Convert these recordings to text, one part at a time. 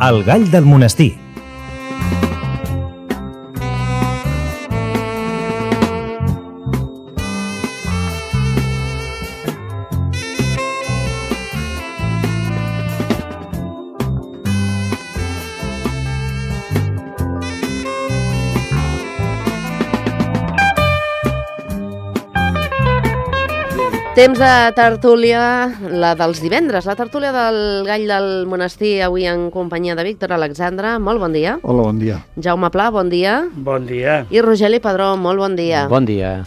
El gall del monestir. Temps de tertúlia, la dels divendres, la tertúlia del gall del monestir, avui en companyia de Víctor Alexandre. Molt bon dia. Hola, bon dia. Jaume Pla, bon dia. Bon dia. I Rogeli Padró, molt bon dia. Bon dia.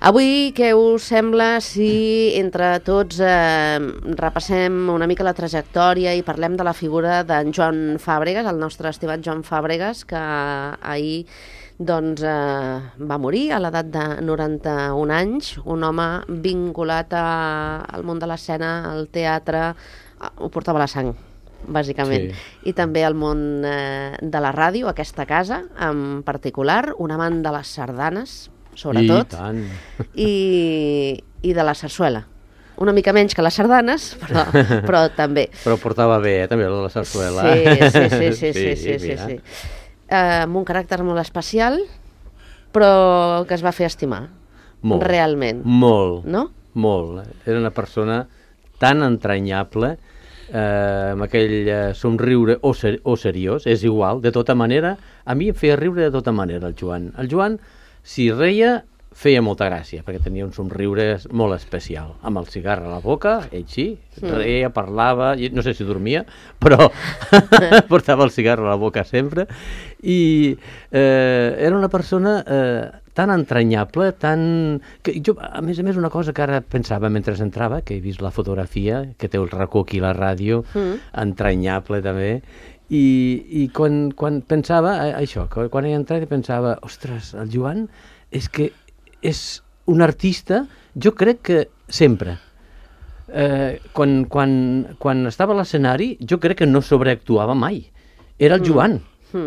Avui, què us sembla si entre tots repassem una mica la trajectòria i parlem de la figura d'en Joan Fàbregas, el nostre estimat Joan Fàbregas, que ahir va morir a l'edat de 91 anys, un home vinculat al món de l'escena, al teatre, ho portava a la sang, bàsicament, sí. I també al món de la ràdio, aquesta casa en particular, un amant de les sardanes, sobretot, i de la sarsuela. Una mica menys que les sardanes, però també. Però portava bé, també, la sarsuela. Sí. Amb un caràcter molt especial, però que es va fer estimar, realment. Molt, no? Molt. Era una persona tan entranyable, amb aquell somriure o seriós, és igual, de tota manera. A mi em feia riure de tota manera el Joan. El Joan, si reia, feia molta gràcia, perquè tenia un somriure molt especial. Amb el cigarr a la boca, ell sí, reia, parlava, no sé si dormia, però portava el cigarr a la boca sempre. I era una persona tan entranyable, que jo, a més, una cosa que ara pensava mentre entrava, que he vist la fotografia, que té el racó aquí a la ràdio, entranyable també, i quan pensava això, quan he entrat pensava, ostres, el Joan és que és un artista, jo crec que sempre. Quan estava a l'escenari, jo crec que no sobreactuava mai. Era el Joan.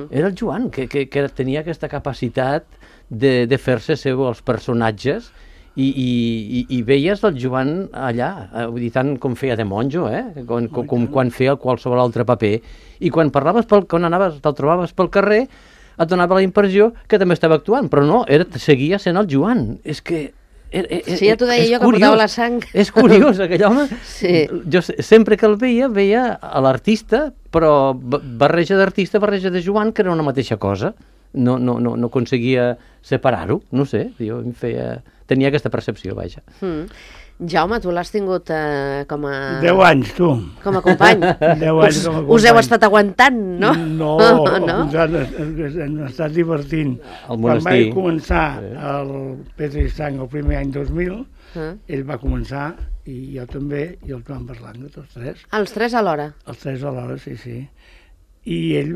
Era el Joan, que tenia aquesta capacitat de fer-se seu els personatges i veies el Joan allà, vull dir, tant com feia de monjo, quan feia qualsevol altre paper. I quan te'l trobaves pel carrer, et donava la impressió que també estava actuant, però no, seguia sent el Joan. És que... Sí, ja t'ho deia jo, que portava la sang. És curiós, aquell home. Sí. Jo sempre que el veia a l'artista, però barreja d'artista, barreja de Joan, que era una mateixa cosa. No aconseguia separar-ho, no sé, tenia aquesta percepció, vaja. Jaume, tu l'has tingut com a... 10 anys, tu. Com a company. 10 anys com a company. Us heu estat aguantant, no? No, hem estat divertint. Quan vaig començar el Pedra i Sang el primer any 2000, ell va començar, i jo també, i el Joan Berlanga, tots tres. Els tres alhora? Els tres alhora, sí. I ell,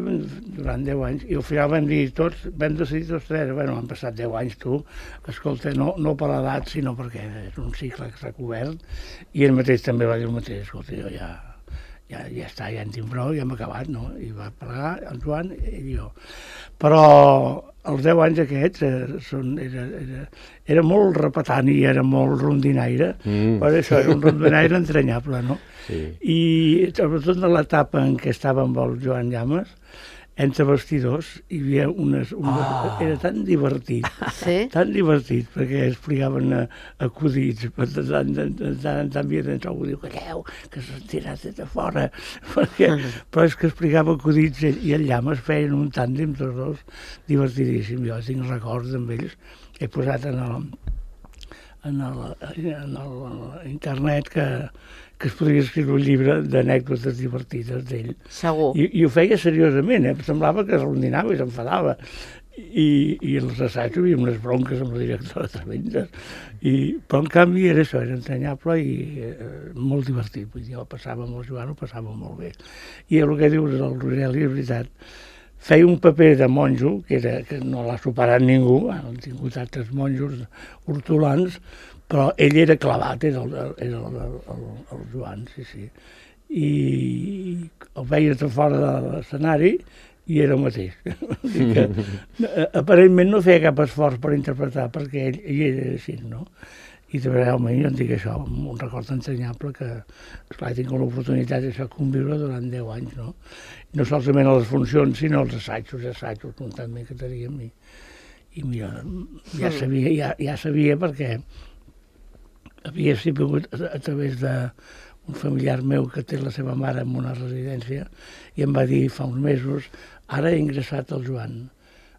durant 10 anys, i al final vam decidir tots tres, han passat 10 anys, tu, escolta, no per l'edat, sinó perquè és un cicle que s'ha cobert, i ell mateix també va dir el mateix, escolta, jo ja està, ja en tinc prou, ja hem acabat, no? I va plegar el Joan i jo. Però els 10 anys aquests era molt repetant i era molt rondinaire, per això era un rondinaire entranyable, no? Sí. I sobretot en l'etapa en què estava amb el Joan Llamas, entre vestidors hi havia era tan divertit, tan divertit, perquè explicaven acudits, tant havia d'entrar algú, diu, calleu, que s'han tirat de fora, però és que explicava acudits i el Llamas feien un tàndem tots dos divertidíssim. Jo tinc records amb ells, he posat en internet que es podria escriure un llibre d'anècdotes divertides d'ell. Segur. I ho feia seriosament, semblava que es rondinava i s'enfadava. I els assajos hi havia unes bronques amb la directora tremendes. Però en canvi era això, era entranyable i molt divertit. Vull dir, passava amb el Joan, ho passava molt bé. I el que dius del Rogeli és veritat. Feia un paper de monjo, que no l'ha superat ningú, han tingut altres monjos hortolans, però ell era clavat, era el Joan, sí. I el veies de fora de l'escenari i era el mateix. Aparentment no feia cap esforç per interpretar, perquè ell era així, no? I realment jo en dic això, un record entranyable que, esclar, he tingut l'oportunitat de conviure durant 10 anys, no? No solament a les funcions, sinó als assajos constantment que teníem. I mira, ja sabia perquè havia sigut a través d'un familiar meu que té la seva mare en una residència i em va dir fa uns mesos, ara he ingressat el Joan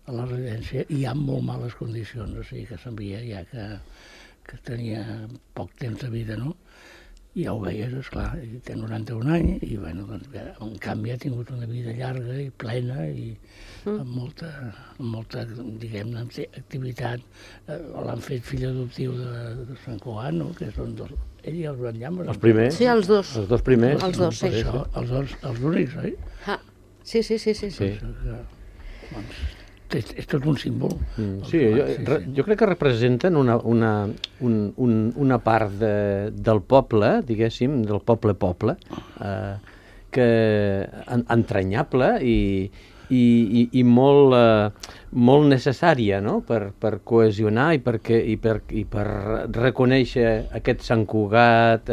a la residència i hi ha molt males condicions, o sigui que sabia ja que tenia poc temps de vida, no? I ja ho veies, esclar, té 91 anys i, bueno, doncs, en canvi ha tingut una vida llarga i plena i amb molta, diguem-ne, activitat. L'han fet fill adoptiu de Sant Cugat, no? Que són ell i el Joan Llamas. Els primers? Sí, els dos. Els dos primers? Els dos, sí. Això, els únics, oi? Sí. Doncs, és tot un símbol. Sí, jo crec que representen una part del poble, diguéssim, del poble, que entranyable i molt necessària, no?, per cohesionar i per reconèixer aquest Sant Cugat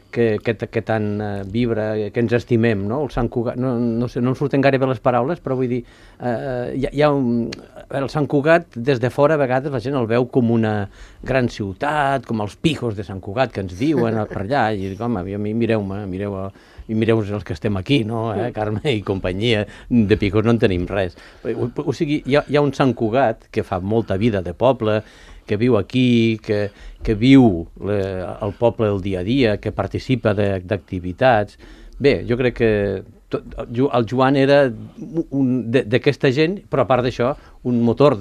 que tant vibra, que ens estimem, no? El Sant Cugat, no sé, no em surten gaire bé les paraules, però vull dir, el Sant Cugat, des de fora, a vegades la gent el veu com una gran ciutat, com els pijos de Sant Cugat, que ens diuen per allà, i dic, home, mireu els que estem aquí, no? Carme i companyia, de pijos no en tenim res. O sigui, hi ha un Sant Cugat que fa molta vida de poble, que viu aquí, que viu el poble el dia a dia, que participa d'activitats. Bé, jo crec que el Joan era d'aquesta gent, però a part d'això, un motor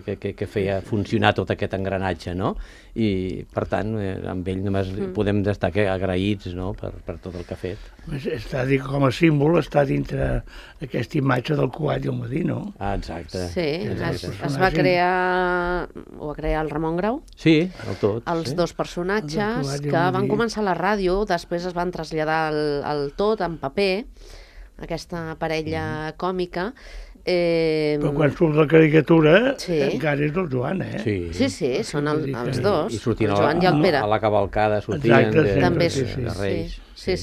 que feia funcionar tot aquest engranatge, no? I, per tant, amb ell només podem estar agraïts, no?, per tot el que ha fet. Està dit com a símbol, està dintre aquesta imatge del Cugat i el Madí, no? Ah, exacte. Sí, es va crear, ho va crear el Ramon Grau. Sí, el tot. Els dos personatges que van començar a la ràdio, després es van traslladar al tot, en paper, aquesta parella còmica. Però quan surt la caricatura, encara és del Joan, eh? Sí, són els dos, i sortint el Joan i el Pere. A la cavalcada sortien també de Reis. Sí.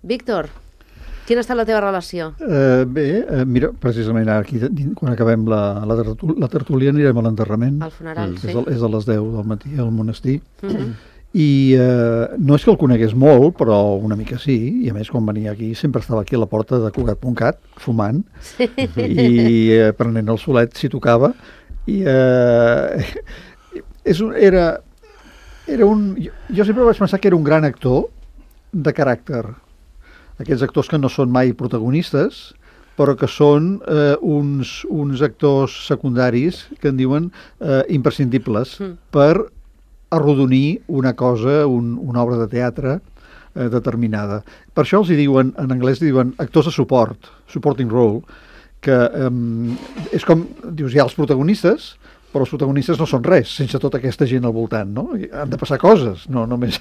Víctor, quina ha estat la teva relació? Bé, mira, precisament aquí, quan acabem la tertúlia, anirem a l'enterrament. Al funeral, sí. És a les 10 del matí al monestir. I no és que el conegués molt, però una mica sí, i a més quan venia aquí sempre estava aquí a la porta de Cugat.cat fumant i prenent el solet si tocava i jo sempre vaig pensar que era un gran actor de caràcter, aquests actors que no són mai protagonistes però que són uns actors secundaris que en diuen imprescindibles per arrodonir una cosa, una obra de teatre determinada. Per això els hi diuen, en anglès diuen actors de suport, supporting role, que és com, dius, hi ha els protagonistes, però els protagonistes no són res, sense tota aquesta gent al voltant, no? Han de passar coses, no només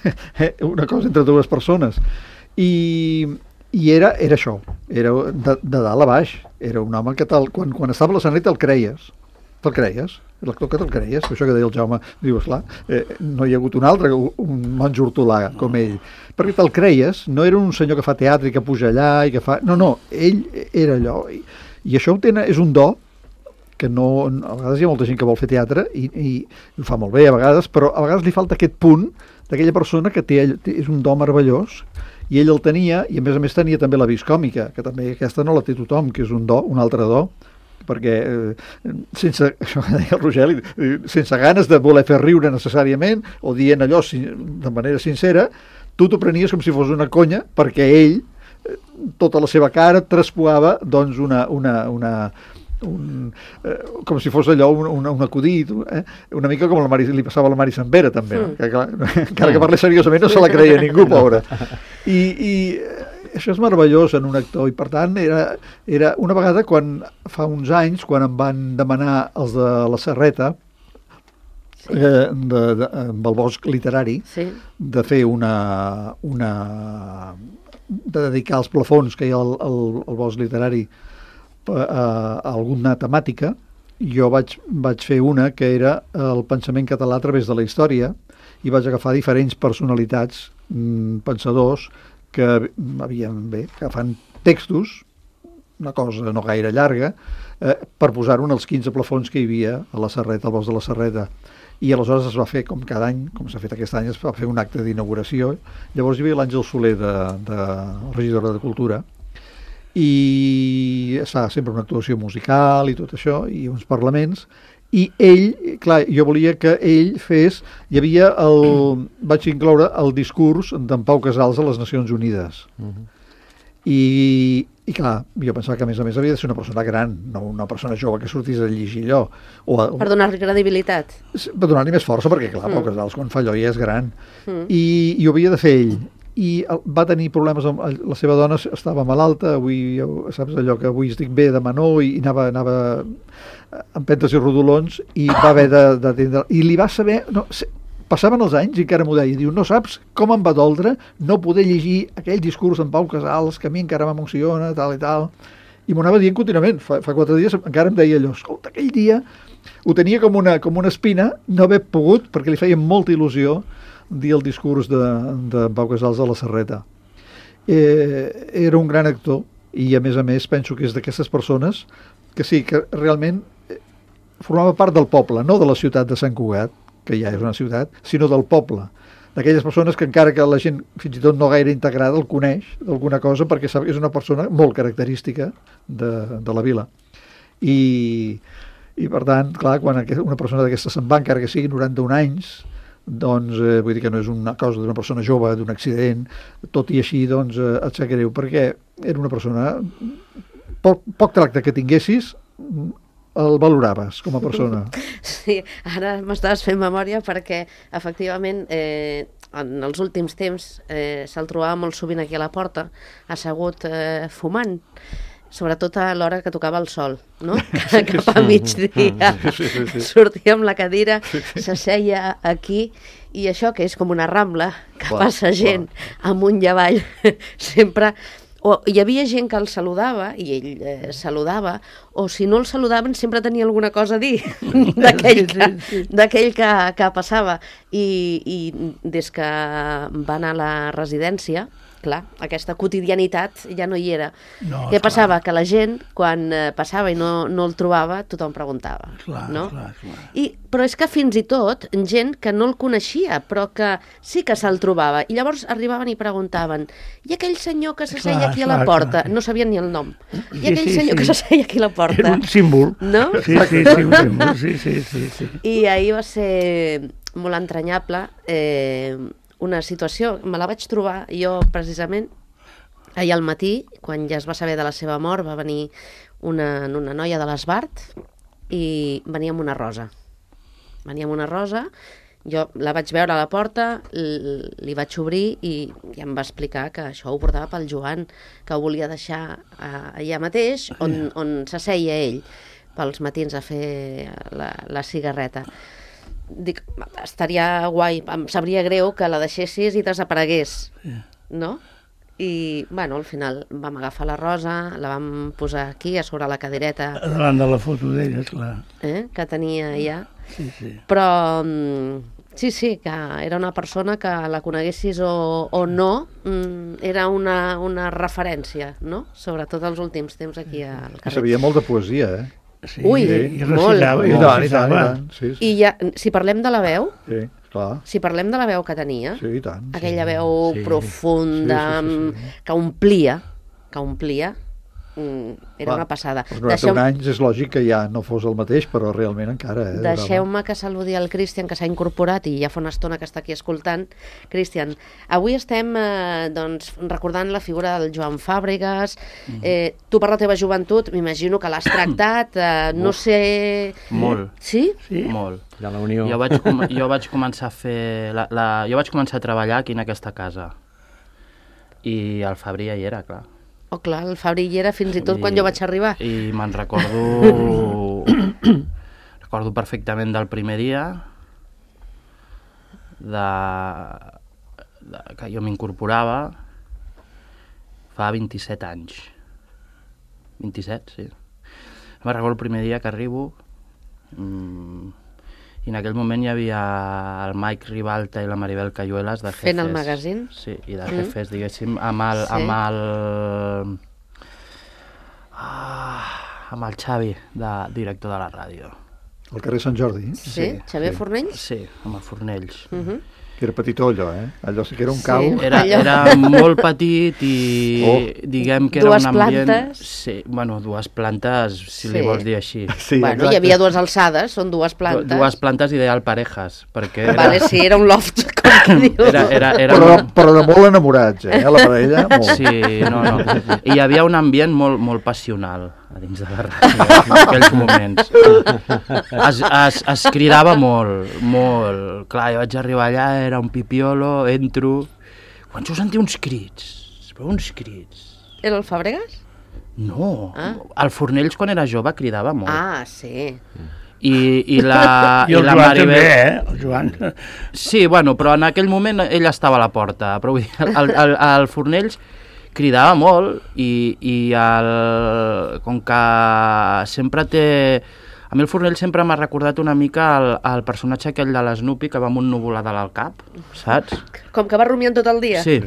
una cosa entre dues persones. I era això, era de dalt a baix, era un home que quan estava a l'escenari te'l creies, l'actor que te'l creies, això que deia el Jaume, diu, esclar, no hi ha hagut un altre, un monjo hortolà com ell, perquè te'l creies, no era un senyor que fa teatre i que puja allà i que fa... No, ell era allò, i això és un do, que no, a vegades hi ha molta gent que vol fer teatre i ho fa molt bé a vegades, però a vegades li falta aquest punt d'aquella persona que és un do meravellós, i ell el tenia, i a més tenia també la vis còmica, que també aquesta no la té tothom, que és un altre do, perquè sense, això que deia el Rogeli, sense ganes de voler fer riure necessàriament o dient allò de manera sincera, tu t'ho prenies com si fos una conya perquè ell, tota la seva cara traspuava doncs com si fos allò un acudit, una mica com li passava a la Mari Sempere també, no? Que, clar, encara que parlés seriosament no se la creia ningú, pobra. I això és meravellós en un actor, i per tant era una vegada fa uns anys, quan em van demanar els de la Serreta, amb el Bosc Literari, de fer de dedicar els plafons que hi ha al Bosc Literari a alguna temàtica, jo vaig fer una que era el pensament català a través de la història, i vaig agafar diferents personalitats, pensadors, que fan textos, una cosa no gaire llarga, per posar-ho en els 15 plafons que hi havia a la Serreta, al bosc de la Serreta. I aleshores es va fer, com cada any, com s'ha fet aquest any, es va fer un acte d'inauguració. Llavors hi havia l'Àngel Soler, de regidora de Cultura, i es fa sempre una actuació musical i tot això, i uns parlaments, i ell, clar, jo volia que ell fes, vaig incloure el discurs d'en Pau Casals a les Nacions Unides. I clar, jo pensava que a més havia de ser una persona gran, no una persona jove que sortís a llegir allò. Per donar-li credibilitat. Per donar-li més força, perquè clar, Pau Casals quan fa allò ja és gran. I ho havia de fer ell. I va tenir problemes amb la seva dona, estava malalta, avui, saps allò que avui estic bé, demà no, i anava amb pentes i rodolons, i va haver d'atendre. I li va saber... Passaven els anys i encara m'ho deia, diu, no saps com em va doldre no poder llegir aquell discurs d'en Pau Casals, que a mi encara m'emociona, tal i tal, i m'ho anava dient contínuament. Fa 4 dies encara em deia allò, escolta, aquell dia ho tenia com una espina, no haver pogut, perquè li feia molta il·lusió dir el discurs de Pau Casals a la Serreta. Era un gran actor, i a més penso que és d'aquestes persones que sí, que realment formava part del poble, no de la ciutat de Sant Cugat, que ja és una ciutat, sinó del poble, d'aquelles persones que encara que la gent fins i tot no gaire integrada el coneix d'alguna cosa, perquè sap que és una persona molt característica de la vila. I per tant, clar, quan una persona d'aquesta se'n va, encara que sigui 91 anys, doncs vull dir que no és una cosa d'una persona jove, d'un accident, tot i així doncs et sap greu, perquè era una persona, poc tracte que tinguessis, el valoraves com a persona. Sí, ara m'estaves fent memòria perquè efectivament en els últims temps se'l trobava molt sovint aquí a la porta, assegut fumant, sobretot a l'hora que tocava el sol, no? Cap a migdia. Sortia amb la cadira, s'asseia aquí, i això que és com una rambla, que passa gent amunt i avall, sempre... hi havia gent que el saludava, i ell saludava, o si no el saludaven sempre tenia alguna cosa a dir d'aquell que passava. I des que va anar a la residència, clar, aquesta quotidianitat ja no hi era. Què passava? Que la gent, quan passava i no el trobava, tothom preguntava. Clar. Però és que fins i tot gent que no el coneixia, però que sí que se'l trobava. I llavors arribaven i preguntaven, i aquell senyor que s'asseia aquí a la porta? No sabien ni el nom. I aquell senyor que s'asseia aquí a la porta? Era un símbol. No? Sí, un símbol. Sí. I ahir va ser molt entranyable, una situació, me la vaig trobar jo precisament ahir al matí, quan ja es va saber de la seva mort, va venir una noia de l'Esbart i venia amb una rosa. Jo la vaig veure a la porta, li vaig obrir i em va explicar que això ho portava pel Joan, que ho volia deixar allà mateix, on s'asseia ell pels matins a fer la cigarreta. Dic, estaria guai, em sabria greu que la deixessis i desaparegués, no? I, bueno, al final vam agafar la rosa, la vam posar aquí, a sobre la cadireta. Davant de la foto d'ella, clar. Que tenia allà. Sí. Però, sí, que era una persona que la coneguessis o no, era una referència, no? Sobretot els últims temps aquí al carrer. Sabia molt de poesia, Sí, ui, i recitava. I tant. Sí. I ja, si parlem de la veu, clar. Si parlem de la veu que tenia, Sí, i tant. aquella veu profunda, que omplia, era una passada. Als 91 anys és lògic que ja no fos el mateix, però realment encara... Deixeu-me que saludi el Cristian, que s'ha incorporat i ja fa una estona que està aquí escoltant. Cristian, avui estem recordant la figura del Joan Fàbregas. Tu, per la teva joventut, m'imagino que l'has tractat, no sé... Molt. Sí? Molt. De la Unió. Jo vaig començar a fer... Jo vaig començar a treballar aquí en aquesta casa. I el Fabri ja hi era, clar. Oh, clar, el Fabri hi era fins i tot quan jo vaig arribar. I me'n recordo... recordo perfectament del primer dia que jo m'incorporava fa 27 anys. 27, sí. Me'n recordo el primer dia que arribo I en aquell moment hi havia el Mike Ribalta i la Maribel Cayuelas de Jefes. Fent el magazín? Sí, i de Jefes, diguéssim, amb el Xavi, director de la ràdio. Al carrer Sant Jordi. Sí, Xavier Fornells? Sí, amb el Fornells. Que era petitó allò, Allò sí que era un cau. Era molt petit i diguem que era un ambient... Plantes. Sí, bueno, 2 plantes, si li vols dir així. Sí, bueno, hi havia 2 alçades, són 2 plantes. 2 plantes ideal parejas, perquè era... Vale, sí, era un loft, com que diu. Però de molt enamorats, la parella, molt. Sí, no. I hi havia un ambient molt passional a dins de la ràdio en aquells moments. Es cridava molt. Clar, jo vaig arribar allà, era un pipiolo, entro... Quan jo sentia uns crits, Era el Fàbregas? No, el Fornells quan era jove cridava molt. Ah, sí. I la Joan Maribel... també, el Joan. Sí, bueno, però en aquell moment ell estava a la porta, però vull dir, el Fornells cridava molt i com que sempre té... A mi el Fornell sempre m'ha recordat una mica el personatge aquell de l'Snoopy que va amb un nuvolador al cap, saps? Com que va rumiant tot el dia? Sí.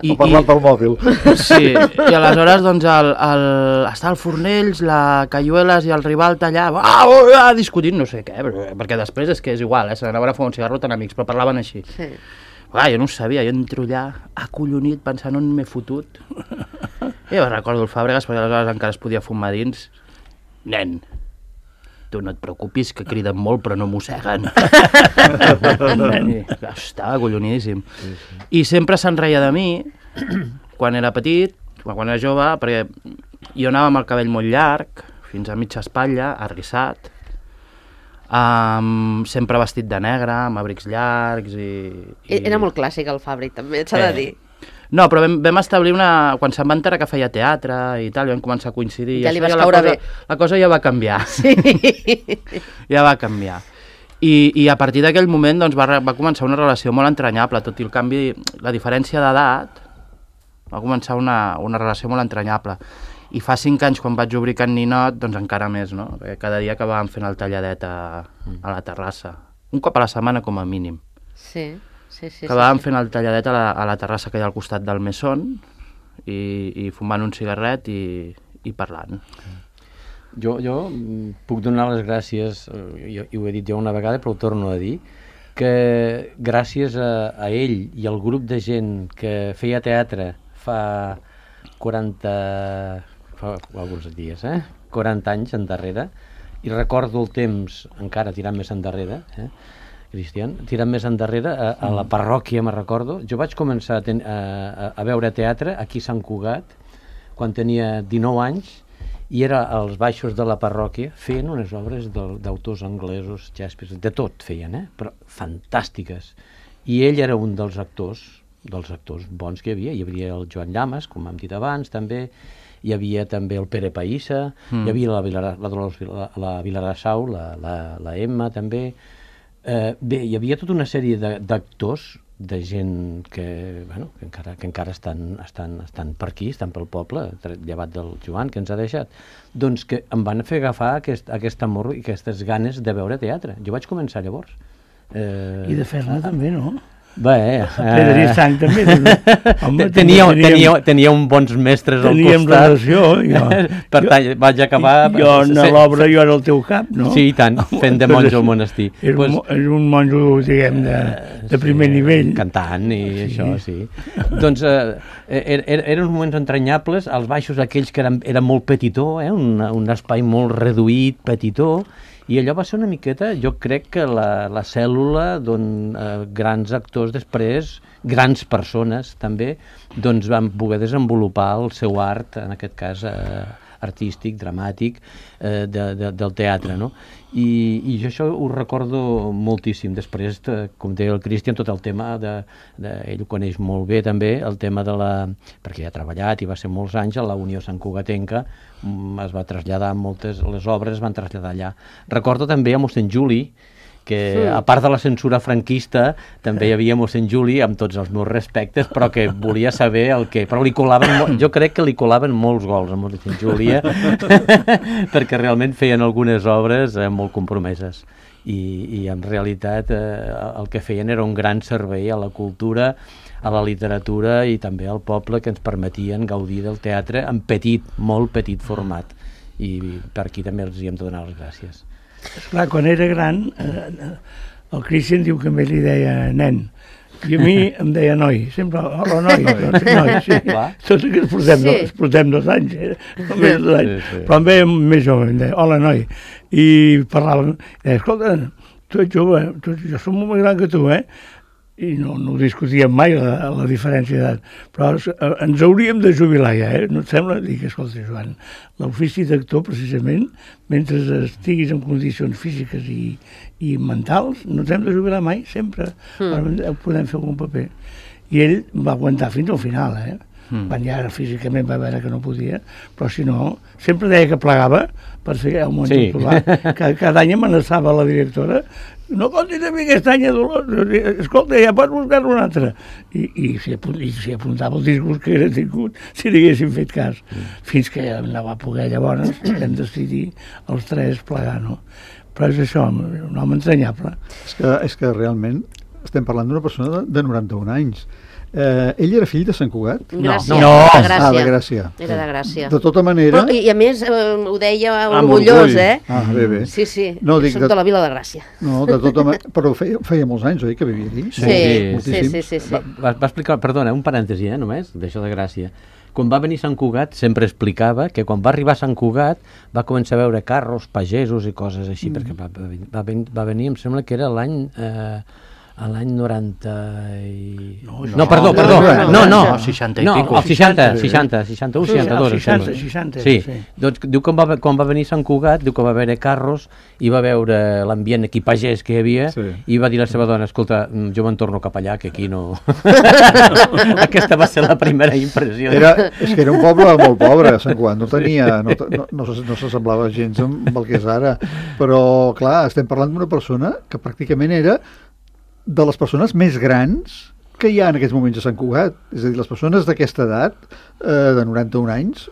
O parlant pel mòbil. Sí, i aleshores doncs està el Fornells, la Cayuelas i el Ribalta allà discutint no sé què, perquè després és que és igual, se n'anaven a fumar un cigarro tan amics, però parlaven així. Sí. Jo no ho sabia, jo entro allà acollonit pensant on m'he fotut. I jo recordo el Fàbregas perquè aleshores encara es podia fumar dins. Nen, tu no et preocupis que criden molt però no mosseguen. Estava acollonidíssim. I sempre se'n reia de mi quan era petit, quan era jove, perquè jo anava amb el cabell molt llarg, fins a mitja espatlla, arrissat, sempre vestit de negre, amb abrics llargs Era molt clàssic el Fàbric, també, s'ha de dir. No, però vam establir quan se'n va enterar que feia teatre i tal, vam començar a coincidir. Ja li vas caure bé. La cosa ja va canviar. Sí. Ja va canviar. I a partir d'aquell moment doncs, va començar una relació molt entranyable, tot i el canvi, la diferència d'edat, va començar una relació molt entranyable. I fa 5 anys, quan vaig obrir Can Ninot, doncs encara més, no? Perquè cada dia acabàvem fent el talladet a la terrassa. Un cop a la setmana, com a mínim. Sí. Acabàvem fent el talladet a la terrassa que hi ha al costat del Mesón i fumant un cigarret i parlant. Jo puc donar les gràcies, i ho he dit jo una vegada, però ho torno a dir, que gràcies a ell i al grup de gent que feia teatre fa alguns dies, 40 anys endarrere, i recordo el temps encara tirant més endarrere, Cristian, tirant més endarrere, a la parròquia me'n recordo. Jo vaig començar a veure teatre aquí a Sant Cugat quan tenia 19 anys i era als baixos de la parròquia fent unes obres d'autors anglesos, Shakespeare, de tot feien, però fantàstiques. I ell era un dels actors bons que hi havia. Hi havia el Joan Llamas, com hem dit abans, també. Hi havia també el Pere Païssa, hi havia la Vilarassau, la Emma, també. Bé, hi havia tota una sèrie d'actors, de gent que encara estan per aquí, estan pel poble, llevat del Joan, que ens ha deixat, doncs que em van fer agafar aquest amor i aquestes ganes de veure teatre. Jo vaig començar llavors. I de fer-ne també, no? Bé, Pedri Sant també. Home, tenia uns bons mestres al costat. Teníem relació. Per tant, vaig acabar... Jo a l'obra jo era el teu cap, no? Sí, i tant, fent de monjo al monestir. És un monjo, diguem, de primer nivell. Cantant i això, sí. Doncs eren uns moments entranyables, als baixos aquells que eren molt petitó, un espai molt reduït, petitó, i allò va ser una miqueta, jo crec que la cèl·lula d'on grans actors després, grans persones també, doncs van poder desenvolupar el seu art, en aquest cas artístic, dramàtic, del teatre, no? I jo això ho recordo moltíssim. Després, com deia el Cristian, tot el tema ell ho coneix molt bé també, el tema perquè ja ha treballat i va ser molts anys a la Unió Sant Cugatenca, es va traslladar les obres es van traslladar allà. Recordo també a mossèn Juli que a part de la censura franquista també hi havia mossèn Juli, amb tots els meus respectes, però que volia saber el que... Però jo crec que li colaven molts gols a mossèn Juli, perquè realment feien algunes obres molt compromeses. I en realitat el que feien era un gran servei a la cultura, a la literatura i també al poble, que ens permetien gaudir del teatre en molt petit format. I per aquí també els hi hem de donar les gràcies. Esclar, quan era gran, el Christian diu que a mi li deia nen, i a mi em deia noi, sempre, hola noi, noi, sí. Tots que es portem 2 anys, només 2 anys, però em veia més jove, em deia, hola noi, i parlàvem, i deia, escolta, tu ets jove, jo soc molt més gran que tu, i no discutíem mai la diferència d'edat, però ens hauríem de jubilar ja, no et sembla? Dic, escolta, Joan, l'ofici d'actor, precisament, mentre estiguis en condicions físiques i mentals, no ens hem de jubilar mai, sempre, podem fer algun paper. I ell va aguantar fins al final, quan ja físicament va veure que no podia, però si no, sempre deia que plegava per fer el món popular. Cada any amenaçava la directora, no comptis a mi aquest any, escolta, ja pots buscar-ne un altre. I s'hi apuntava el disgust que era tingut si li haguessin fet cas. Fins que no va poder, llavors vam decidir els 3 plegar, no? Però és això, un home entranyable. És que realment estem parlant d'una persona de 91 anys. Ell era fill de Sant Cugat? Gràcia. No. De Gràcia. De Gràcia. Era de Gràcia. De tota manera... Però, i a més, ho deia orgullós, Bé. Sí, no, soc de la Vila de Gràcia. No, de tota manera... Però feia molts anys, oi, que vivia allí? Sí. Va explicar, perdona, un parèntesi, només, d'això de Gràcia. Quan va venir Sant Cugat, sempre explicava que quan va arribar a Sant Cugat va començar a veure carros, pagesos i coses així, perquè va venir, em sembla que era l'any 90 i... No, perdó. No, 60 i pico. 61, 62. 60. Sí, doncs diu que quan va venir Sant Cugat, diu que va veure carros i va veure l'ambient aquí pagès que hi havia i va dir a la seva dona, escolta, jo me'n torno cap allà, que aquí no... Aquesta va ser la primera impressió. És que era un poble molt pobre, Sant Cugat, no tenia... No s'assemblava gens amb el que és ara, però, clar, estem parlant d'una persona que pràcticament era de les persones més grans que hi ha en aquests moments a Sant Cugat. És a dir, les persones d'aquesta edat, de 91 anys,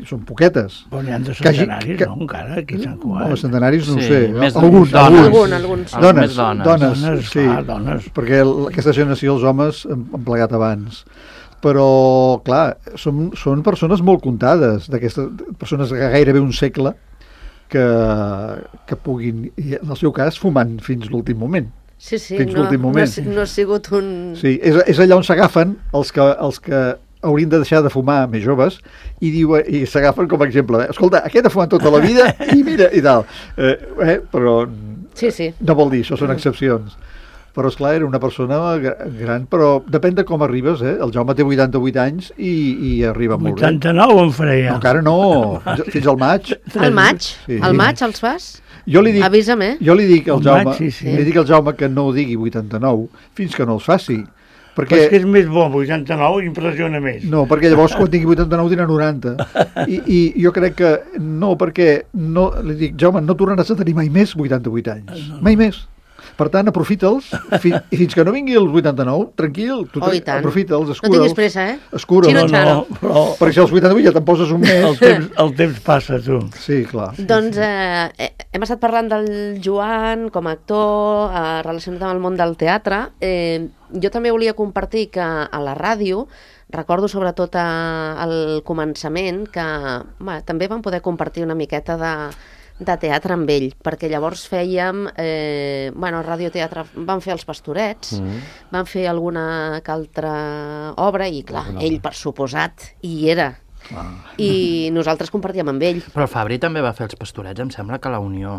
són poquetes. Però n'hi ha de centenaris, no, encara, aquí a Sant Cugat. No, centenaris no ho sé. Alguns. Dones, sí. Perquè aquesta generació, els homes, han plegat abans. Però, clar, són persones molt comptades, d'aquestes persones de gairebé un segle, que puguin, en el seu cas, fumant fins l'últim moment. Sí, no ha sigut un... Sí, és allà on s'agafen els que haurien de deixar de fumar més joves i s'agafen com a exemple. Escolta, aquest ha fumat tota la vida i mira, i tal. Però no vol dir, això són excepcions. Però, esclar, era una persona gran, però depèn de com arribes, El Jaume té 88 anys i arriba molt bé. 89 en faré ja. No, encara no, fins al maig. Al maig? Al maig els fas? Avisa'm, Jo li dic al Jaume que no ho digui 89 fins que no els faci. Però és que és més bo, 89 impressiona més. No, perquè llavors quan tingui 89 tindrà 90. I jo crec que no, perquè li dic, Jaume, no tornaràs a tenir mai més 88 anys. Mai més. Per tant, aprofita'ls, i fins que no vingui els 89, tranquil, tu aprofita'ls, escura'ls. No tinguis pressa, Escura'ls. Perquè si als 88 ja te'n poses un mes... El temps passa, tu. Sí, clar. Doncs hem estat parlant del Joan com a actor, relacionat amb el món del teatre. Jo també volia compartir que a la ràdio, recordo sobretot al començament, que també vam poder compartir una miqueta de teatre amb ell, perquè llavors fèiem radioteatre, vam fer Els Pastorets, vam fer alguna que altra obra i clar, ell per suposat hi era i nosaltres compartíem amb ell. Però el Fabri també va fer Els Pastorets, em sembla que a la Unió.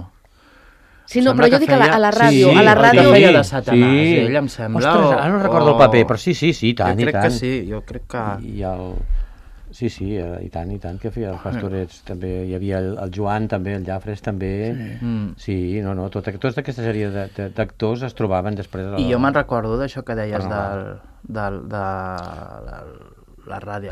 Sí, no, però jo dic a la ràdio. A la ràdio feia de Satanàs, ell em sembla. Ostres, ara no recordo el paper, però sí, tant, i tant. Jo crec que sí, jo crec que... Sí, i tant, que feia els Pastorets, també hi havia el Joan, també, el Llafres, també, sí, tota aquesta sèrie d'actors es trobaven després de I jo me'n recordo d'això que deies de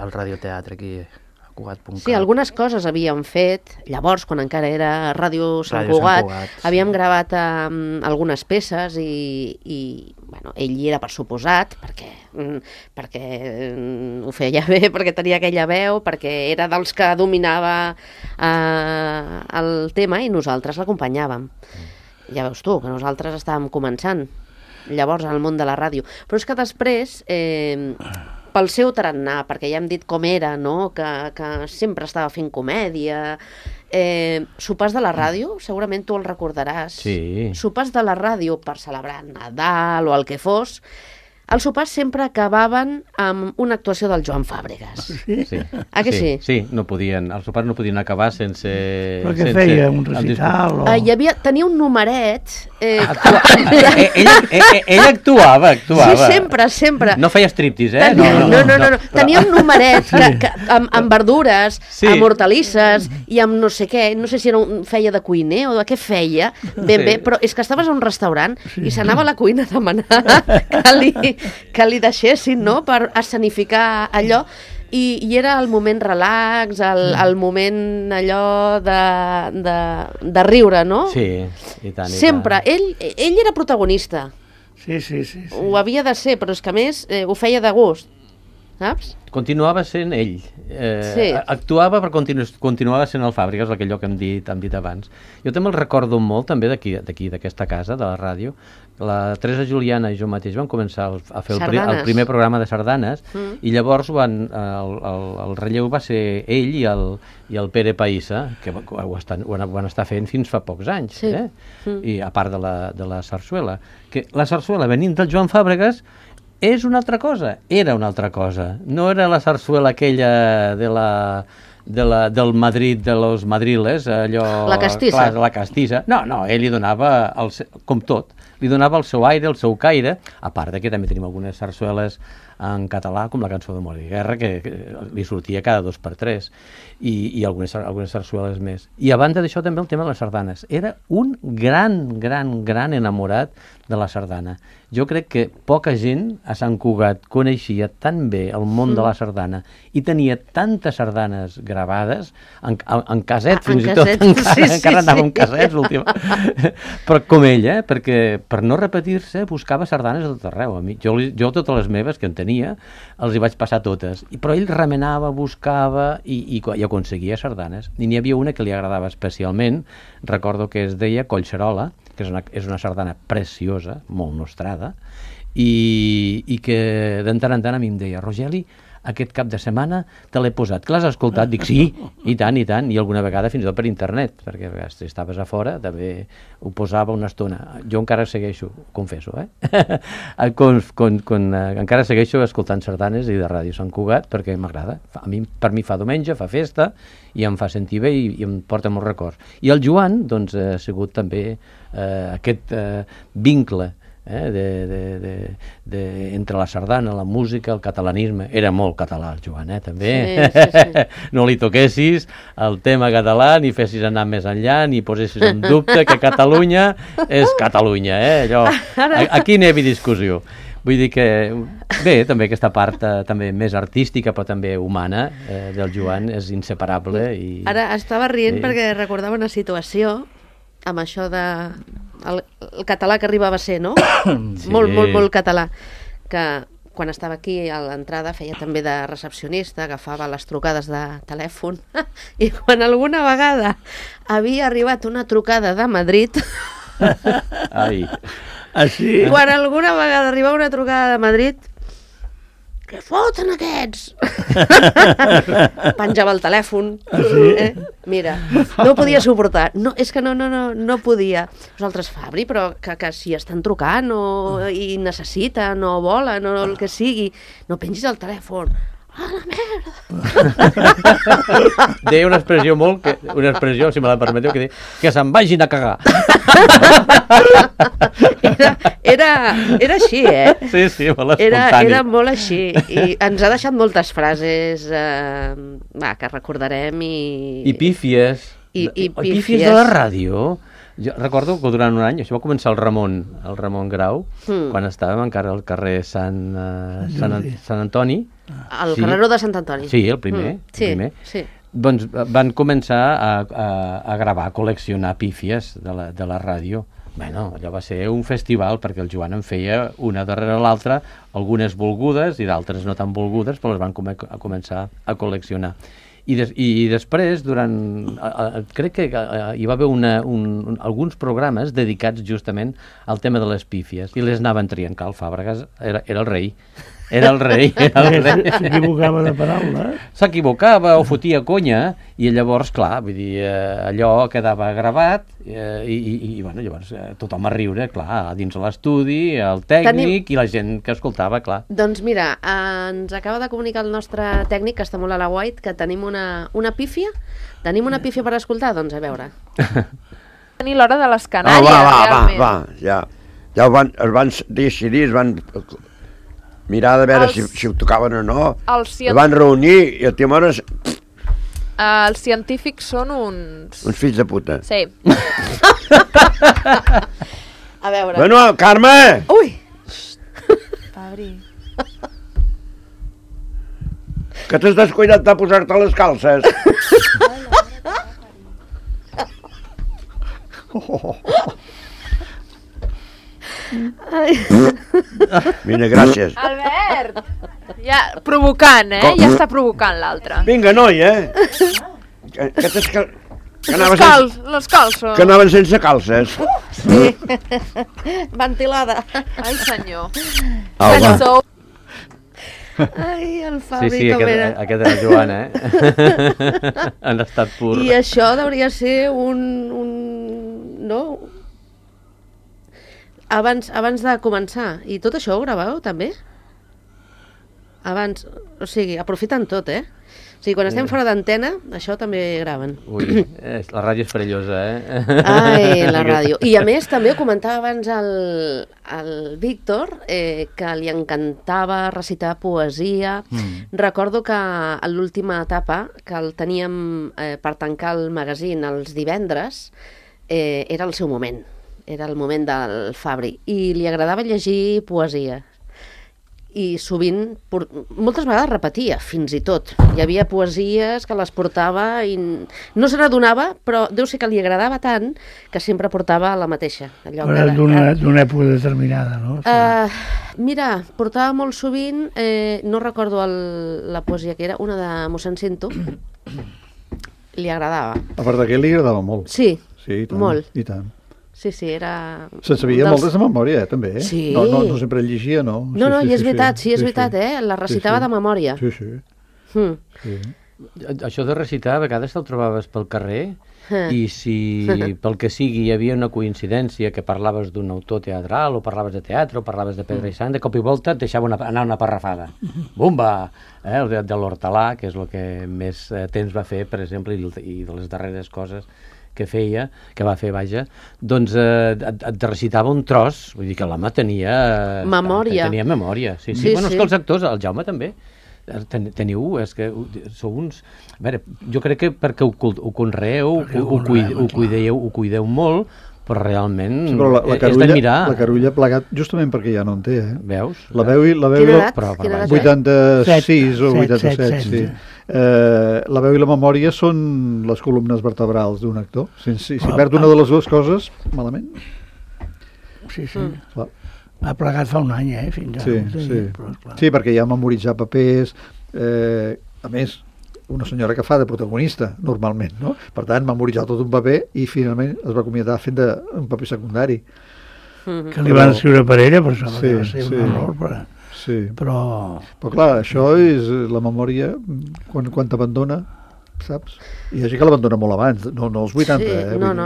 el radioteatre aquí a Cugat.cat. Sí, algunes coses havíem fet. Llavors, quan encara era Ràdio Sant Ràdio Sant Cugat, Cugat, sí. havíem gravat algunes peces i bueno, ell hi era per suposat, perquè ho feia bé, perquè tenia aquella veu, perquè era dels que dominava el tema i nosaltres l'acompanyàvem. Ja veus tu, que nosaltres estàvem començant llavors al món de la ràdio. Però és que després, pel seu tarannà, perquè ja hem dit com era, no? que sempre estava fent comèdia, sopars de la ràdio, segurament tu el recordaràs. Sí. Sopars de la ràdio per celebrar Nadal o el que fos, els sopars sempre acabaven amb una actuació del Joan Fàbregas. Sí. Ah, que sí? Sí, no podien, els sopars no podien acabar sense... Però què feia? Un recital? Tenia un numeret... Ell actuava. Sí, sempre. No feia striptease, eh? No. Tenia un numeret amb verdures, Sí. amb hortalisses i amb no sé què, no sé si feia de cuiner o de què feia, ben bé, però és que estaves a un restaurant i s'anava a la cuina a demanar que li deixessin, no?, per escenificar allò, i era el moment relax, el moment allò de riure, no? Sí, i tant. Sempre. Ell era protagonista. Sí. Ho havia de ser, però és que a més ho feia de gust, saps? Continuava sent ell. Sí. Actuava però continuava sent el Fàbregas, aquell que hem dit abans. Jo també el recordo molt, també d'aquí, d'aquesta casa, de la ràdio. La Teresa Juliana i jo mateix vam començar a fer el primer programa de sardanes i llavors el relleu va ser ell i el Pere Païssa, que ho van estar fent fins fa pocs anys, Sí. I a part de la sarsuela. Que la sarsuela, venint del Joan Fàbregas, és una altra cosa, era una altra cosa. No era la sarsuela aquella del Madrid, de los madriles, allò... La castissa. Clar, la castissa. No, ell li donava, com tot, li donava el seu aire, el seu caire, a part de que també tenim algunes sarsueles en català, com la cançó de Mort i Guerra, que li sortia cada 2 per 3, i algunes sarsueles més. I a banda d'això també el tema de les sardanes. Era un gran enamorat de la sardana. Jo crec que poca gent a Sant Cugat coneixia tan bé el món de la sardana i tenia tantes sardanes gravades en caset, fins i tot, encara anava amb casets l'últim. Però com ella, perquè per no repetir-se buscava sardanes a tot arreu. Jo totes les meves que en tenia els hi vaig passar totes, però ell remenava, buscava i aconseguia sardanes. I n'hi havia una que li agradava especialment, recordo que es deia Collserola, que és una sardana preciosa, molt nostrada, i que de tant en tant a mi em deia: Rogeli, aquest cap de setmana te l'he posat, que l'has escoltat? Dic, sí, i tant, i alguna vegada fins i tot per internet, perquè si estaves a fora també ho posava una estona. Jo encara segueixo, confesso, encara segueixo escoltant sardanes i de Ràdio Sant Cugat, perquè m'agrada. Per mi fa diumenge, fa festa, i em fa sentir bé i em porta molts records. I el Joan, doncs, ha sigut també aquest vincle entre la sardana, la música, el catalanisme. Era molt català el Joan, també. Sí. No li toquessis el tema català, ni fessis anar més enllà, ni posessis en dubte que Catalunya és Catalunya, allò. Aquí n'hi havia discussió. Vull dir que, bé, també aquesta part també més artística, però també humana, del Joan és inseparable. Ara estava rient perquè recordava una situació amb això de el català que arribava a ser, no? Sí. Molt català, que quan estava aquí a l'entrada feia també de recepcionista, agafava les trucades de telèfon, i quan alguna vegada havia arribat una trucada de Madrid... Ai. Així? Quan alguna vegada arribava una trucada de Madrid, què foten aquests? Penjava el telèfon. Mira, no ho podia suportar. No, és que no podia. Nosaltres, Fabri, però que si estan trucant i necessiten o volen o el que sigui, no pengis el telèfon. A la merda! Deia una expressió si me la permeteu, que deia que se'n vagin a cagar. Era així, Sí, molt espontani. Era molt així. I ens ha deixat moltes frases que recordarem i... I pífies. I pífies de la ràdio. Jo recordo que durant un any, això va començar el Ramon Grau, quan estàvem encara al carrer Sant Antoni. El carreró de Sant Antoni. Sí, el primer. Sí. Doncs van començar a gravar, a col·leccionar pífies de la ràdio. Bueno, allò va ser un festival, perquè el Joan en feia una darrere l'altra, algunes volgudes i d'altres no tan volgudes, però les van començar a col·leccionar. I després, crec que hi va haver alguns programes dedicats justament al tema de les pífies, i les anaven triant. Cal Fàbregas era el rei. Era el rei. S'equivocava de paraula. S'equivocava o fotia conya, i llavors, clar, vull dir, allò quedava gravat, i bueno, llavors tothom a riure, clar, dins l'estudi, el tècnic i la gent que escoltava, clar. Doncs mira, ens acaba de comunicar el nostre tècnic, que està molt a la guait, que tenim una pífia. Tenim una pífia per escoltar? Doncs a veure. Tenir l'hora de les Canàries, realment. Ja es van decidir, es van mirar de veure si ho tocaven o no. Es van reunir i a Timores... Els científics són uns fills de puta. Sí. A veure... Bueno, Carme! Ui! Fabri. Que t'has descuidat de posar-te les calces. Mira, gràcies. Albert! Ja, provocant, Ja està provocant l'altre. Vinga, noi, Les calces. Que anaven sense calces. Sí. Ventilada. Ai, senyor. Va. Ai, el Fabri, sí, com era. Aquest era el Joan, en estat pur. I això hauria de ser no? Abans de començar. I tot això ho graveu, també? Abans, o sigui, aprofiten tot, O sigui, quan estem fora d'antena, això també graven. Ui, la ràdio és perillosa, Ai, la ràdio. I a més, també ho comentava abans el Víctor, que li encantava recitar poesia. Recordo que a l'última etapa, que el teníem per tancar el magazín els divendres, era el seu moment. Era el moment del Fabri. I li agradava llegir poesia. I sovint, moltes vegades repetia, fins i tot. Hi havia poesies que les portava i no se n'adonava, però deu ser que li agradava tant que sempre portava la mateixa. D'una època determinada, no? Mira, portava molt sovint, no recordo la poesia que era, una de mossèn Cinto, li agradava. A part d'aquest li agradava molt. Sí, i tant, molt. I tant. Sí, era... Se'n sabia moltes de memòria, també, Sí. No sempre llegia, no? No, i és veritat, és veritat, la recitava de memòria. Sí. Això de recitar, a vegades te'l trobaves pel carrer, i si pel que sigui hi havia una coincidència que parlaves d'un autor teatral, o parlaves de teatre, o parlaves de Pedra i Sang, de cop i volta et deixava anar una parrafada. Bumba! El de l'Hortalà, que és el que més temps va fer, per exemple, i de les darreres coses que va fer, doncs et recitava un tros, vull dir que l'home tenia... Memòria. Tenia memòria, sí. Bueno, és que els actors, el Jaume també, teniu, és que sou uns... A veure, jo crec que perquè ho conreeu, ho cuideu molt, però realment és de mirar. La Carulla ha plegat justament perquè ja no en té, Veus? La veu i 86 o 87, sí. La veu i la memòria són les columnes vertebrals d'un actor. Si perd una de les dues coses, malament. Sí. Ha plegat fa un any, fins ara. Sí, perquè ja ha memoritzat papers, a més, una senyora que fa de protagonista, normalment, no? Per tant, memoritzar tot un paper i finalment es va acomiadar fent un paper secundari. Que li van escriure per ella, per això va ser un error, però clar, això és la memòria quan t'abandona, saps? Hi ha gent que l'abandona molt abans, no als 80. Sí, no.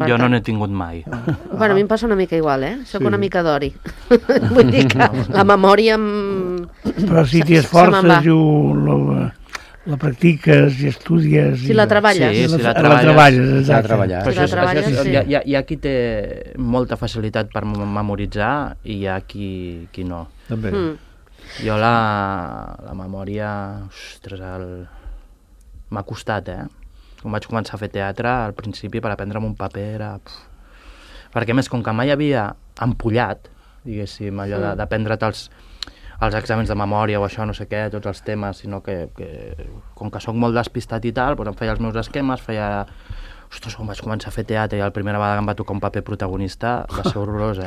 Jo no n'he tingut mai. Bueno, a mi em passa una mica igual, Soc una mica d'ori. Vull dir que la memòria... Però si t'hi esforces i la practiques i estudies... Si la treballes. Sí, si la treballes. Hi ha qui té molta facilitat per memoritzar i hi ha qui no. També. Jo la memòria, ostres, m'ha costat, quan vaig començar a fer teatre, al principi per aprendre'm un paper era... Perquè més, com que mai havia empollat, diguéssim, allò d'aprendre't els exàmens de memòria o això, no sé què, tots els temes, sinó que com que sóc molt despistat i tal, doncs em feia els meus esquemes, feia... Ostres, quan vaig començar a fer teatre i la primera vegada que em va tocar un paper protagonista va ser horrorós,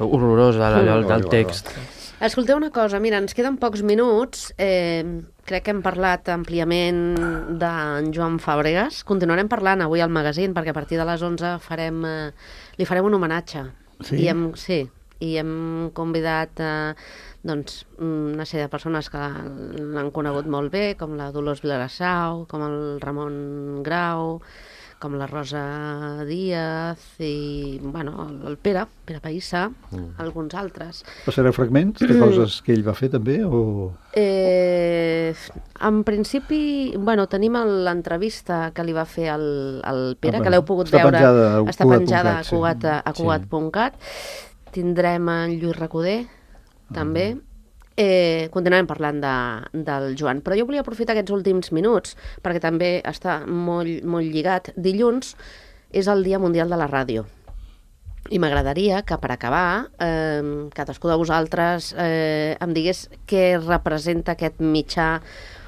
horrorós allò del text. Escolteu una cosa, mira, ens queden pocs minuts, crec que hem parlat àmpliament d'en Joan Fàbregas, continuarem parlant avui al magazín perquè a partir de les 11 li farem un homenatge. Sí? I hem convidat una sèrie de persones que l'han conegut molt bé, com la Dolors Vilarassau, com el Ramon Grau, com la Rosa Díaz i, bueno, el Pere Païssa, alguns altres. Passareu fragments de coses que ell va fer també? O... En principi, bueno, tenim l'entrevista que li va fer el Pere, que l'heu pogut veure. Està penjada a Cugat.cat. Tindrem en Lluís Recoder, també. Continuarem parlant del Joan. Però jo volia aprofitar aquests últims minuts, perquè també està molt lligat. Dilluns és el Dia Mundial de la Ràdio. I m'agradaria que, per acabar, cadascú de vosaltres em digués què representa aquest mitjà,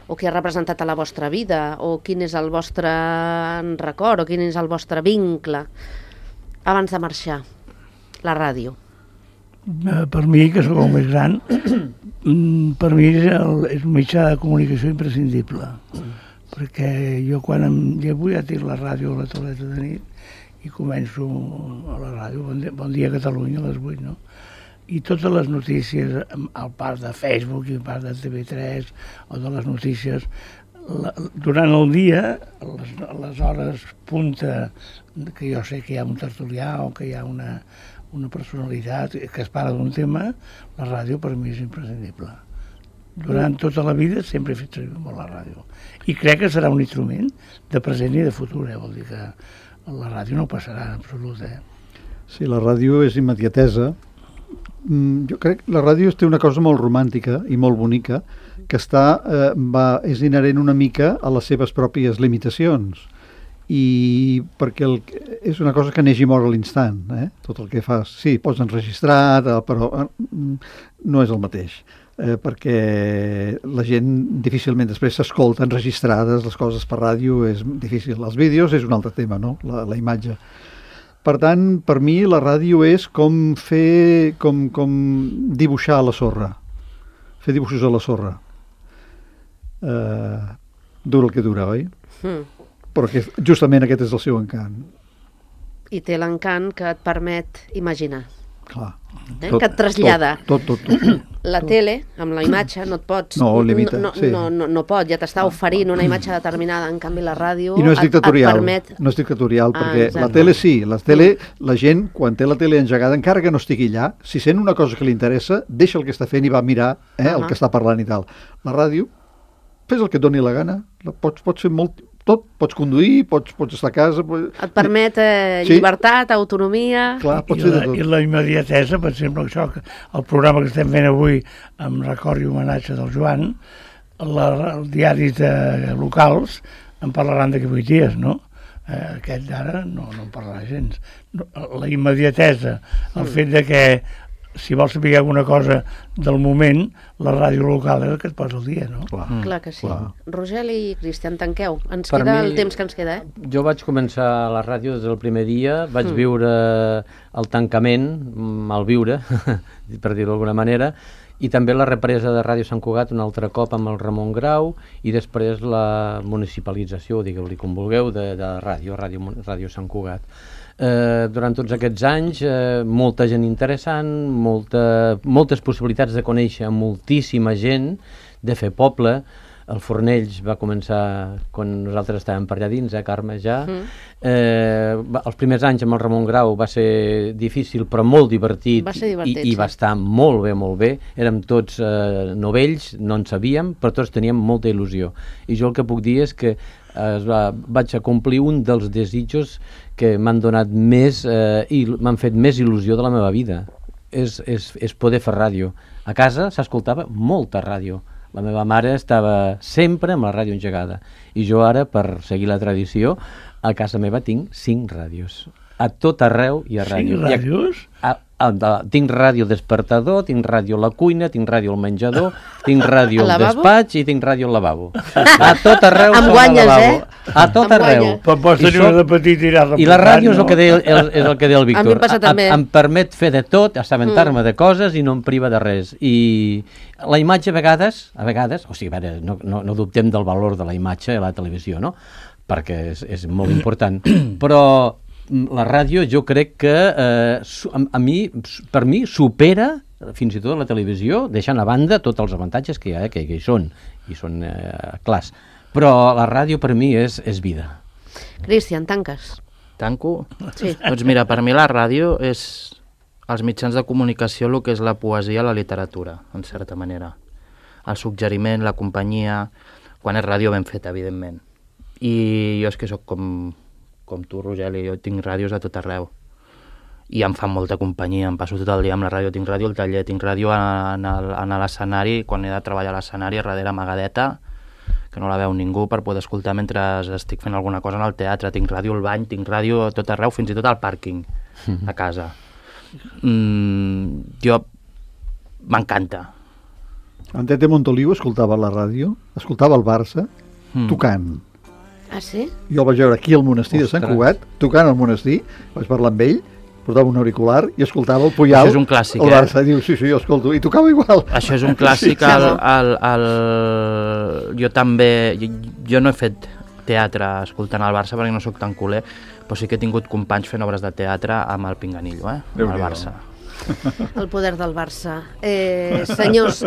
o què ha representat a la vostra vida, o quin és el vostre record, o quin és el vostre vincle, abans de marxar. La ràdio. Per mi, que sóc el més gran, per mi és un mitjà de comunicació imprescindible, perquè jo quan vull ja tinc la ràdio a la tauleta de nit i començo a la ràdio, Bon dia Catalunya a les 8, no? I totes les notícies, al part de Facebook i al part de TV3 o de les notícies, durant el dia, a les hores punta, que jo sé que hi ha un tertulià o que hi ha una personalitat que es parla d'un tema, la ràdio per mi és imprescindible. Durant tota la vida sempre he fet servir molt la ràdio. I crec que serà un instrument de present i de futur, vol dir que la ràdio no passarà en absolut. Sí, la ràdio és immediatesa. Jo crec que la ràdio té una cosa molt romàntica i molt bonica, que és inherent una mica a les seves pròpies limitacions. I perquè és una cosa que neix i mor a l'instant, tot el que fas. Sí, pots enregistrar, però no és el mateix, perquè la gent difícilment després s'escolta enregistrades les coses per ràdio, és difícil. Els vídeos és un altre tema, no? La imatge. Per tant, per mi la ràdio és com dibuixar a la sorra, fer dibuixos a la sorra. Dura el que dura, oi? Però justament aquest és el seu encant. I té l'encant que et permet imaginar. Clar. Que et trasllada. Tot. La tele, amb la imatge, no et pots... No, limita. No pot, ja t'està oferint una imatge determinada, en canvi la ràdio i no és dictatorial, et permet... No és dictatorial, perquè la tele sí, la gent, quan té la tele engegada, encara que no estigui allà, si sent una cosa que li interessa, deixa el que està fent i va a mirar el que està parlant i tal. La ràdio, fes el que et doni la gana, pots fer molt... Tot, pots conduir, pots estar a casa... Et permet llibertat, autonomia... Clar, pots fer de tot. I la immediatesa, per exemple, això, el programa que estem fent avui amb record i homenatge del Joan, els diaris locals en parlaran d'aquí 8 dies, no? Aquest d'ara no en parlarà gens. La immediatesa, el fet de que si vols saber alguna cosa del moment, la ràdio local és el que et posa al dia, no? Clar que sí. Rogel i Cristian, tanqueu. Ens queda el temps que ens queda, Jo vaig començar a la ràdio des del primer dia, vaig viure el tancament, malviure, per dir-ho d'alguna manera, i també la represa de Ràdio Sant Cugat un altre cop amb el Ramon Grau, i després la municipalització, digueu-li com vulgueu, de Ràdio Sant Cugat. Durant tots aquests anys, molta gent interessant, moltes possibilitats de conèixer moltíssima gent, de fer poble. El Fornells va començar quan nosaltres estàvem per allà dins, Carme, ja. Els primers anys amb el Ramon Grau va ser difícil, però molt divertit, i va estar molt bé. Érem tots novells, no en sabíem, però tots teníem molta il·lusió. I jo el que puc dir és que vaig a complir un dels desitjos que m'han donat més i m'han fet més il·lusió de la meva vida, és poder fer ràdio. A casa s'escoltava molta ràdio, La meva mare estava sempre amb la ràdio engegada. I jo ara, per seguir la tradició, a casa meva tinc 5 ràdios. A tot arreu hi ha ràdio. 5 ràdios? Tinc ràdio despertador, tinc ràdio a la cuina, tinc ràdio al menjador, tinc ràdio al Al lavabo? despatx i tinc ràdio al lavabo. A tot arreu Em sona guanyes, lavabo. A tot Em arreu. guanyes. Però pots tenir una de petit i anar I la ràdio és el no? que deia, és el que deia el Víctor. A mi em passa també. Em permet fer de tot, assabentar-me de coses i no em priva de res. I la imatge a vegades, o sigui, a veure, no dubtem del valor de la imatge a la televisió, no? Perquè és molt important. Però la ràdio jo crec que per mi supera fins i tot la televisió, deixant a banda tots els avantatges que hi ha, que hi són, i són clars. Però la ràdio per mi és vida. Cristian, tanques. Tanco? Sí. Doncs mira, per mi la ràdio és els mitjans de comunicació el que és la poesia, la literatura, en certa manera. El suggeriment, la companyia, quan és ràdio ben feta, evidentment. I jo és que sóc com tu, Rogeli, jo tinc ràdios a tot arreu. I em fan molta companyia, em passo tot el dia amb la ràdio, tinc ràdio al taller, tinc ràdio a l'escenari, quan he de treballar a l'escenari, darrere amagadeta, que no la veu ningú per poder escoltar mentre estic fent alguna cosa en el teatre, tinc ràdio al bany, tinc ràdio a tot arreu, fins i tot al pàrquing, a casa. Jo m'encanta. En Tete Montoliu escoltava la ràdio, escoltava el Barça, tocant. Ah, sí? Jo el vaig veure aquí al monestir de Sant Cugat, tocant al monestir, vaig parlar amb ell, portava un auricular i escoltava el Puyal. Això és un clàssic, el Barça, diu, sí, jo escolto, i tocava igual. Això és un clàssic, jo també, jo no he fet teatre escoltant el Barça perquè no sóc tan culer, però sí que he tingut companys fent obres de teatre amb el Pinganillo, amb el Barça. El poder del Barça. Senyors,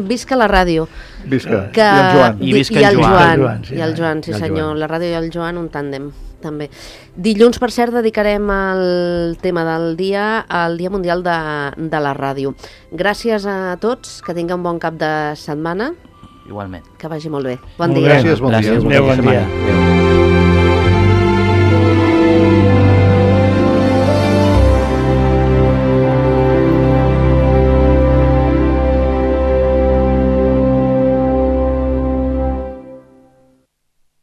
visca la ràdio. Visca. Que... I el Joan. I visca en Joan. I el Joan, sí senyor. La ràdio i el Joan, un tàndem, també. Dilluns, per cert, dedicarem el tema del dia al Dia Mundial de la Ràdio. Gràcies a tots, que tingueu un bon cap de setmana. Igualment. Que vagi molt bé. Bon dia. Gràcies, bon dia. Adéu, bon dia.